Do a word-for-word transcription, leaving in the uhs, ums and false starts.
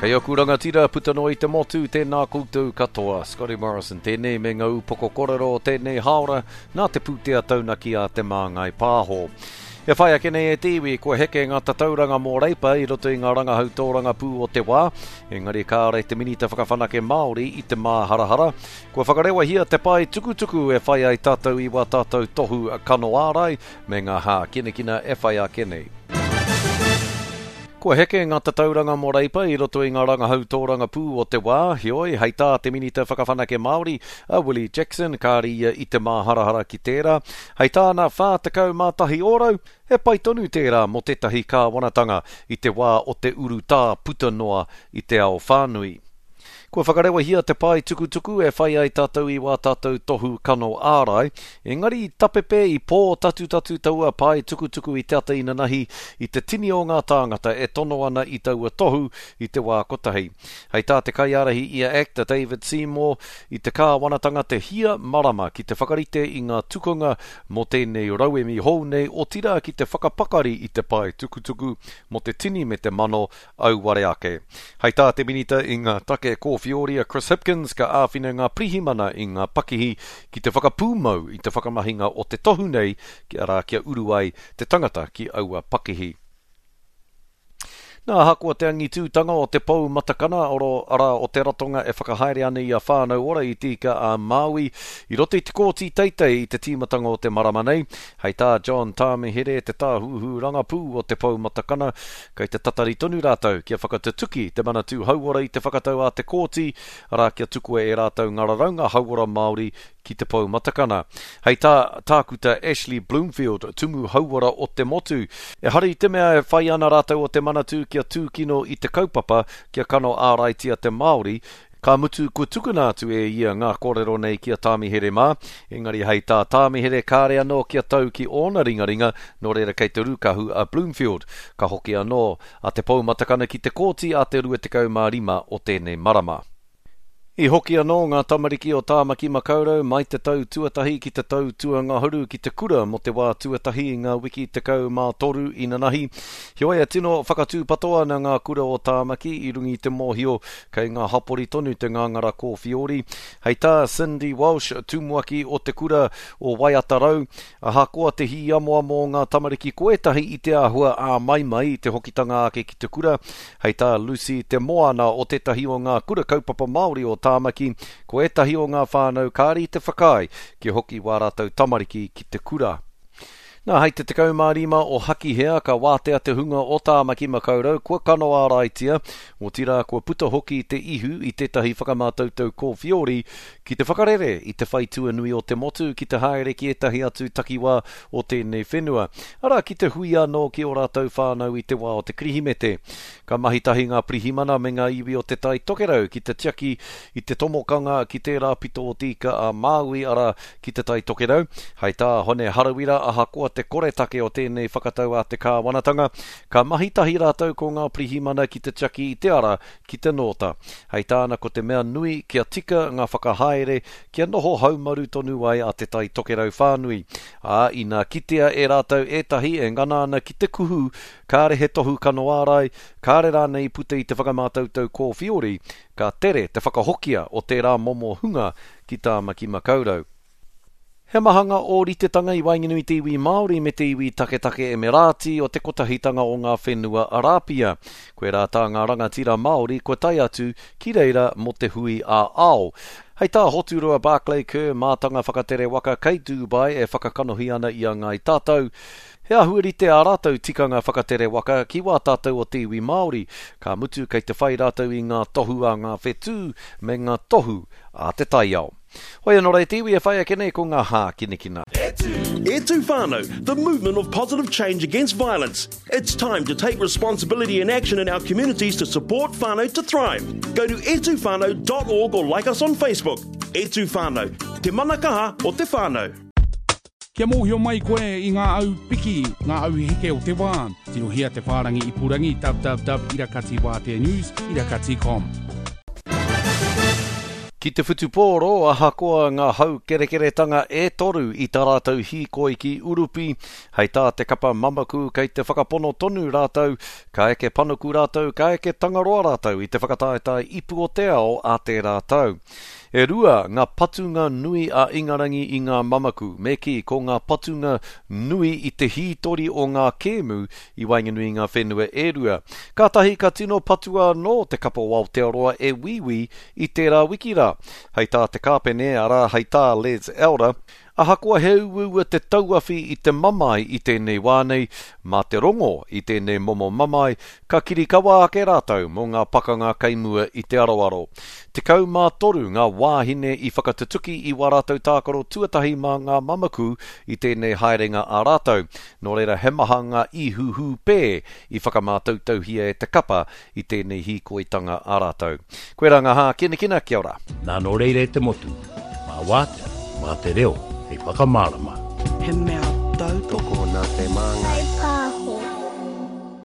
Kei aku rangatira puta noa i te motu, tēnā koutou katoa. Scotty Morrison tēnei me ngā upoko korero o tēnei hāora nā te pūtea taunaki a Te Māngai Pāho. E whai ake nei e te iwi, kua heke ngā tatauranga mō Reipa i roto i ngā rangahau tōrangapū o te wā, engari kāore te Minita Whakawhanake Māori i te māharahara. Kua whakarewahia te pae tukutuku e whai ai tātou i wā tātou tohu kano ārai me ngā hākinakina e whai ake nei. Kua heke ngā tatauranga mō Reipa i roto i ngā rangahau tōrangapū o te wā, heoi, hei tā te Minita Whakawhanake Māori, a Willie Jackson, kāre ia i te māharahara ki tērā. Hei tāna whā tekau mā tahi ōrau, he pai tonu tērā mō tētahi kāwanatanga i te wā o te urutā puta noa i te ao whānui. Kua whakarewahia te pae tukutuku e whai ai tātou i wā tātou tohu kano ārai, engari i tapepe i pōtatutatu taua pae tukutuku i te ata inanahi i te tini o ngā tāngata e tono ana i taua tohu i te wā kotahi. Hei tā te kaiārahi i a Act a David Seymour, i te kāwanatanga te hia marama ki te whakarite i ngā tukunga mō tēnei rauemi hou nei, otirā ki te whakapakari i te pae tukutuku mō te tini me te mano auware ake. Hei tā te Minita i ngā take kōwhioria Chris Hipkins ka āwhina ngā pirihimana i ngā pakihi ki te whakapūmau i te whakamahinga o te tohu nei, arā kia uru ai te tangata ki aua pakihi. Nā, ahakoa te angitūtanga o te pou matakana, oro, arā o te ratonga e whakahaere ana i a Whānau Ora i Te Ika a Māui, i roto i te kōti teitei i te tīmatanga o te marama nei, hei tā John Tāmihere, te tāhuhu rangapū o te pou matakana, kei te tatari tonu rātou kia whakatutuki te Manatū Hauora i te whakatau a te kōti, arā kia tukua e rātou ngā raraunga hauora Māori ki te pou matakana. Hei tā Tākuta Ashley Bloomfield, tumu hauora o te motu, ehara i te mea e whai ana rātou o te Manatū kia tūkino i te kaupapa kia kano āraitia te Māori, ka mutu kua tukuna atu e ia ngā kōrero nei ki a Tāmihere mā, engari hei tā Tāmihere kāre anō kia tau ki ōna ringaringa, nō reira kei te rūkahu a Bloomfield. Ka hoki anō a te pou matakana ki te kōti a te rua tekau mā rima o tēnei marama. I hoki anō ngā tamariki o Tāmaki Makaurau mai te tau tuatahi ki te tau tuangahuru ki te kura mō te wā tuatahi i ngā wiki tekau mā toru inanahi. Heoi e tino whakatūpato ana ngā kura o Tāmaki i runga i te mōhio kei ngā hapori tonu te ngāngara kōwhiori. Hei tā Cindy Walsh, tumuaki o te kura o Waiatarau, ahakoa te hīamoamo o ngā tamariki ko ētahi i te āhua āmaimai i te hokitanga ake ki te kura, hei tā Lucy Te Moana o tētahi o ngā kura kaupapa Māori o Tāmaki, ko ētahi o ngā whānau kāre i te whakaae kia hoki wā rātou tamariki ki te kura. Nā, hei te tekau mā rima o Hakihea ka wātea te hunga o Tāmaki Makaurau kua kano āraitia, otirā kua puta hoki te ihu i tētahi whakamātautau kōwhiori ki te whakarere i te whaitua nui o te motu ki te haere ki ētahi atu takiwā o tēnei whenua, arā ki te hui anō ki ō rātou whānau i te wā o te Kirihimete. Ka mahi tahi ngā pirihimana me ngā iwi o te Tai Tokerau ki te tiaki i te tomokanga ki tērā pito o Te Ika a Māui, arā ki te Tai Tokerau. Hei tā Hone Harawira, ahakoa te koretake o tēnei whakatau a te kāwanatanga, ka mahi tahi rātou ko ngā pirihimana ki te tiaki i te ara ki te nōta. Hei tāna ko te mea nui kia tika ngā whakahaere kia noho haumaru tonu ai a te Tai Tokerau whānui. Ā, inā kitea e rātou ētahi e ngana ana ki te kuhu, kāre he tohu kano ārai, kāre rānei i puta i te whakamātautau kōwhiori, ka tere te whakahokia o tērā momo hunga ki Tāmaki Makaurau. He maha ngā ōritetanga i waenganui i te iwi Māori me te iwi taketake Emirāti o te kotahitanga o ngā whenua Arāpia. Koirā tā ngā rangatira Māori kua tae atu ki reira mō te hui ā-ao. Hei tā Hoturoa Barclay Kerr, mātanga whakatere waka kei Dubai e whakakanohi ana i a Ngāi Tātou, he āhua rite ā rātou tikanga whakatere waka ki wā tātou o te iwi Māori, ka mutu kei te whai rātou i ngā tohu a ngā whetū me ngā tohu a te taiao. Hoi anō rā te iwi e whai ake nei ko ngā hākinakina. E tū whānau, the movement of positive change against violence. It's time to take responsibility and action in our communities to support whānau to thrive. Go to e tū whānau dot org or like us on Facebook. E tū whānau, te mana kaha o te whānau. Kia mōhio mai koe i ngā au piki, ngā au heke o te wā. Tirohia te whārangi ipurangi www irakati wātea news irakati com. Ki te whutupōro, ahakoa ngā haukerekeretanga e toru i tā rātou hīkoi ki Urupi, hei tā te kapa mamaku kei te whakapono tonu rātou, ka eke panuku rātou, ka eke Tangaroa rātou i te whakataetae ipu o te ao a tērā tau. E rua ngā patunga nui a Ingarangi i ngā mamaku, me kī ko ngā patunga nui i te hītori o ngā kēmu i waenganui i ngā whenua e rua. Kātahi ka tino patua anō te kapa o Aotearoa e Wīwī i tērā wiki rā. Hei tā te kāpene, arā hei tā Les Elder, ahakoa he uaua te tauawhi i te mamae i tēnei wā nei, mā te rongo i tēnei momo mamae, ka kirikawa ake rātou mō ngā pakanga kei mua i te aroaro. Tekau mā toru ngā wāhine i whakatutuki i wā rātou tākaro tuatahi mā ngā mamaku i tēnei haerenga a rātou. Nō reira he maha ngā ihuhūpē i whakamātautauhia e te kapa i tēnei hīkoitanga a rātou. Koirā ngā hākinakina, kia ora. Nā nō reira e te motu, mā wātea, mā te reo, hei whakamārama. He mea tautoko Tokona te māngai.